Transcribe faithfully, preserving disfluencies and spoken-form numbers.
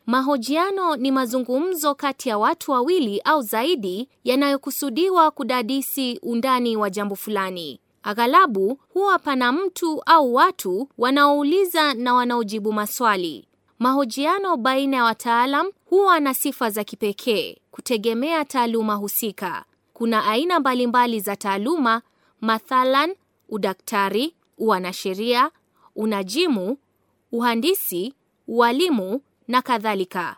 Mahojiano ni mazungumzo kati ya watu wawili au zaidi yanayokusudiwa kudadisi undani wa jambo fulani. Aghalabu huwa pana mtu au watu wanaouliza na wanaojibu maswali. Mahojiano baina ya wataalam huwa na sifa za kipekee kutegemea taaluma husika. Kuna aina mbalimbali za taaluma, mathalan udaktari, uanasheria, unajimu, uhandisi, ualimu na kadhalika.